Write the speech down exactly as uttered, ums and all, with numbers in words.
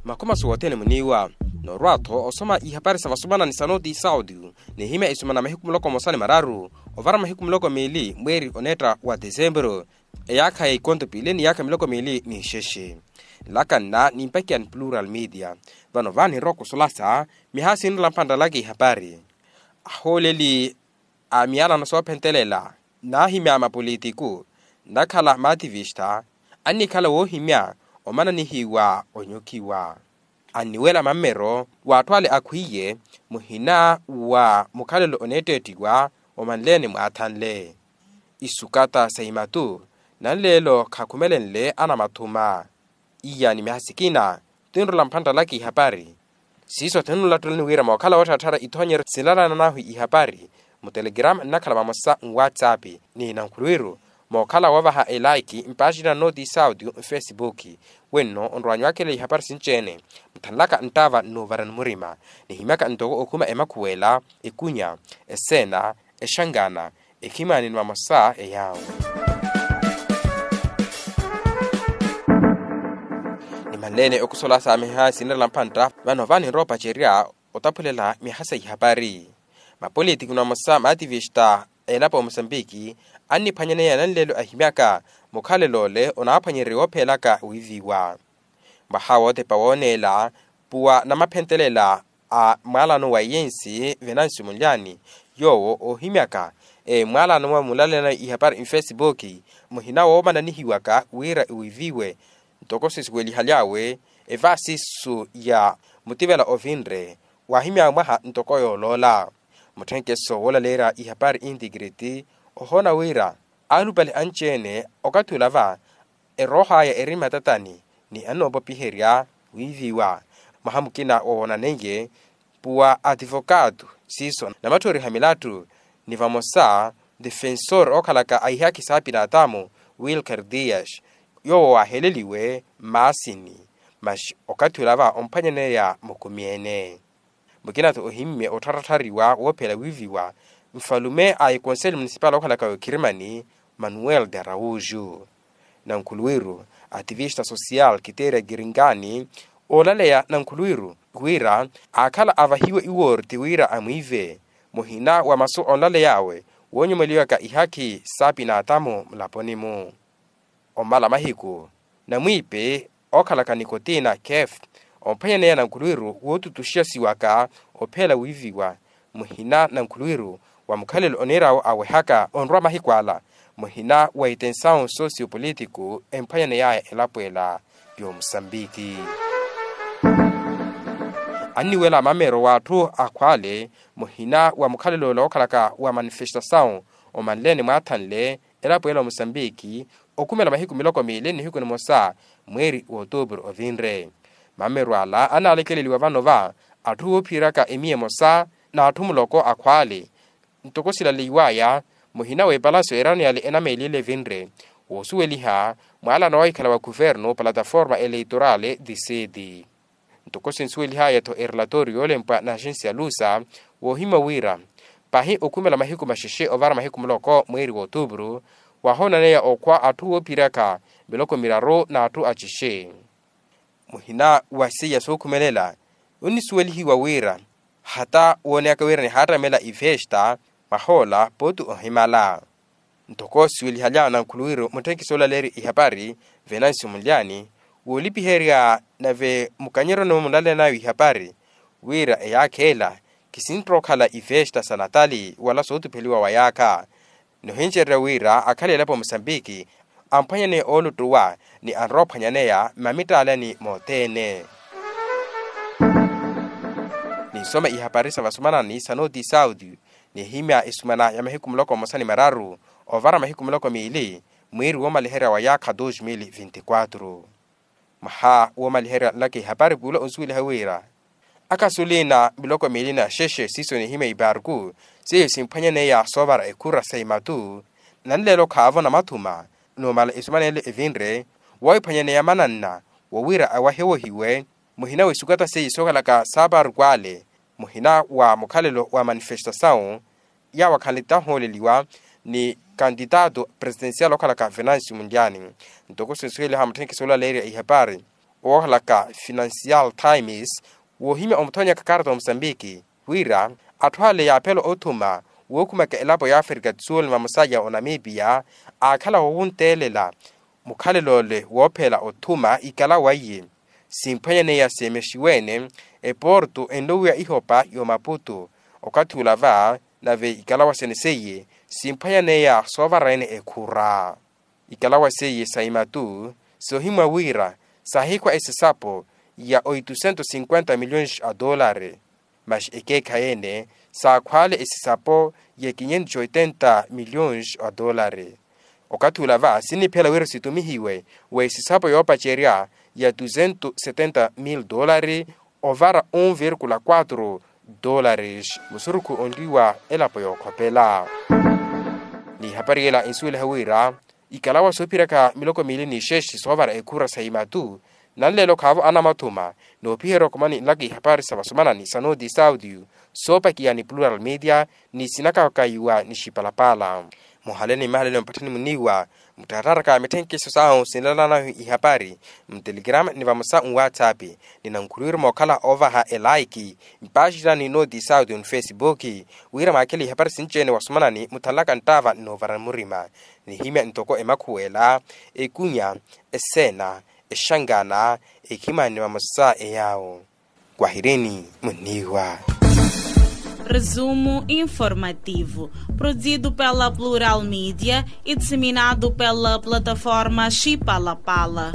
Makomaso wothene muniiwa. Norwa-tho osoma ihapari sa vasomana ni sanoti saudio, nihimya esumana mahiku muloko mosa ni mararu ovara mahiku muloko miili mweeri oneetta wa desemburu, eyaakha ya ikonto piili ni yaakha miloko miili ni nxexe. Nlaka nna nimpakiya ni plural media. Vano vaani nrowa kusolasa mihaha sinrela mphantta laka ihapari. Ahooleli a miyalano soophentelela, naahimya mapolitiku, nnakhala maativista, annikhala woohimya omananihiwa onyukiwa. Anniwela mammero w'atthu ale akhwiiye, muhina wa mukhalelo oneetteettiwa omanleene mwaathanle. Isukata sa imatu nanleelo khakhumelenle anamathuma. Iyaani mihaha sikina tinrola mphantta laka ihapari. Siiso tinnolattelani wira mookhala woottharattharya ithoonyeryo sinlalana nahu ihapari, mutelegrama nnakhala vamosa nwatsapp, ni nankhuluwiru mookhala woovaha elaiki mpaaxina nnooti saudio nfesibuki. Wenno onrowanyu wakhela ihapari sinci-ene, muthanlaka nttaava nnuuvarani murima, nihimyaka ntoko okhuma emakhuwela, ekunya, eseena, exangana, ekhimaani ni vamosa eyaawo. Nimanleene okusola saamiha sinrela mphantta vano vaani nrowa opacerya otaphulela mihaha sa ihapari. Mapolitiku ni vamosa maativista a elapo ya musambiki anniphwanyaneya nanleelo ahimyaka mukhalelo ole onaaphwanyererya woophelaka wiiviwa. Mwaha wootepa wooneela puwa namaphentelela a mwaalano wa iyensi venancio munlyani, yoowo oohimyaka emwaalano mwa munlalelanayo ihapari nfesibuki, muhina woomananihiwaka wira iwiiviwe. Ntoko sisuwelihaly'awe evaasisu ya mutivela ovinre waahimy'awe mwaha ntoko yooloola. Mutthenkeso woolaleerya ihapari integrity ohoona wira alupale anci-ene okathi olava erooh'aya eri mmatatani ni annoopopiherya wiiviwa. Mwaha mukina woowonaneiye puwa ativokaato siiso namatthoriha milattu ni vamosa defensor ookhalaka a ihaakhi saapinatamu wilker dias, yoowo waaheleliwe mmaasini. Masi okathi olava omphwanyaneya mukumi-ene. Mukina-tho ohimmye ottharattariwa woophela wiiviwa nfalume a ekonseli munisipal okhalaka okirimani manuel de araújo. Nankhuluwiru ativista social kiteerya kiringani oolaleya nankhuluwiru wira aakhala avahiwe iwoorti wira amwiive muhina wa masu onlaley'awe woonyumeliwaka ihaakhi saapinatamu mulaponi-mu. Omala mahiku namwiipe ookhalaka nikotina kef omphwanyaneya nankhuluwiru wootutuxiyasiwaka ophela wiiviwa muhina nankhuluwiru wa mukhalelo oniir'awo awehaka onrowa mahiku ala muhina wa itensawu sosio politiku emphwanyaney'aya elapo ela y'omusambiki. Anniwela mamero w'atthu akhwale muhina wa mukhalelo ole ookhalaka wa manifestasawu omanleene mwaathanle elapo ela omusambiki okhumela mahiku miloko miili nihiku nimosa mweeri w'otuupuru ovinre. Mameru ala anaalekeleliwa vano va atthu woophiyeraka emiya emosa n'atthu muloko akhwaale ntoko silaleiw'aya muhina w'epalasyo erano yale enameeliyele evinre woosuweliha mwaalano wahikhala wa khuvernu plataforma eleitorale disedi. Ntoko sinsuwelihaya-tho erelatori yoolempwa na axensi ya lusa woohimya wira pahi okhumela mahiku maxexe ovara mahiku muloko mweeri w'otuupuru wahoonaneya okhwa atthu woophiraka miloko miraru n'atthu axexe. Muhina wa seiya sookhumelela onnisuwelihiwa wira hata wooneyaka wira nihaattamela ifesta mwahoola pooti ohimala. Ntoko siwelihaly'awe nankhuluwiru mutthenkisi oolaleerya ihapari venancio munlyani woolipiherya nave mukanyeryo ni munlaleyanayo ihapari wira eyaakha ela kisintta okhala ifesta sa natali wala sootupheliwa wa yaakha. Nohincererya wira akhale elapo musambiki amphwanyaneya ooluttuwa ni anrowa ophwanyaneya mmamitaalani mothene. Ninsoma ihapari sa vasomana ni sanoti sauti nihimya esumana ya mahiku muloko mmosa ni mararu ovara mahiku muloko miili mwiiri woomaliherya wa yaakha dos mil vinti quatro. Mwaha woomaliherya nlaka ihapari puula onsuweliha wira akhasulina miloko miili na xexe siiso nihimya iparku seiyo simphwanyaneya soovara ekhura sa imatu. Nanleelo khaavo namathuma numala esumanele evinre woohiphwanyaneya mananna wowira awahewohiwe muhina w'esukata seiyo sookhalaka saaparku ale muhina wa mukhalelo wa manifestasawu yawo akhanle tahooleliwa ni kantitato presitensial okhalaka venancio munlyani. Ntoko sinsuweliha mutthenkisi oolaleerya ihapari Woohalaka financial times woohimya omuthonyaka karata wa musambiki wira atthu ale yaaphela othuma wookhumaka elapo ya afrika tsuli vamosa ya onamibia aakhala woowunteelela mukhalelo ole woophela othuma ikalawa iye. Simphwanyaneya seemexiwene eporto enlowiwa ihopa y'omaputo okathi ula va nave ikalawa sene seiye simphwanyaneya soovara ene ekhura. Ikalawa seiye sa imatu soohimwa wira saahikhwa esisapo ya oito cento cinquenta milhões a dolari. Mas ekeekhayi ene saakhwaale esisapo ya quinhentos oitenta milhões a dolari. Okathi ula va siniphela wira situmihiwe w'esisapo yoopacerya ya duzentos setenta mil dolari ovara um vírgula quatro dólares musurukhu onliwa elapo yookhopela. Ni hapari yela insuweliha wira ikalawa soophiraka miloko miili ni xexe soovara ekhura sa imatu nanleelo khaavo anamathuma noopiherya okhumani nlaka ihapari sa vasomanani sa noti saudio soopakiya ni plural media ni sinakakayiwa ni xipalapala. Muhale ni mmahalelo mpatthani muniiwa muttarattara ka mitthenkeso sahu sinlalanahu ihapari mtelegrama ni vamosa nwatsapp ni nankhulwiru mookhala oovaha elaiki mpaxina ni noti saudio ni facebook wira mwaakhele ihapari sinci-ene wasomanani muthanlaka nttaava nnoovara murima nihimya ntoko emakhuwela ekunya eseena exangana ekhimani vamosa eyaawo. Kwahireni munniiwa. Resumo informativo produzido pela plural media e disseminado pela plataforma xipalapala.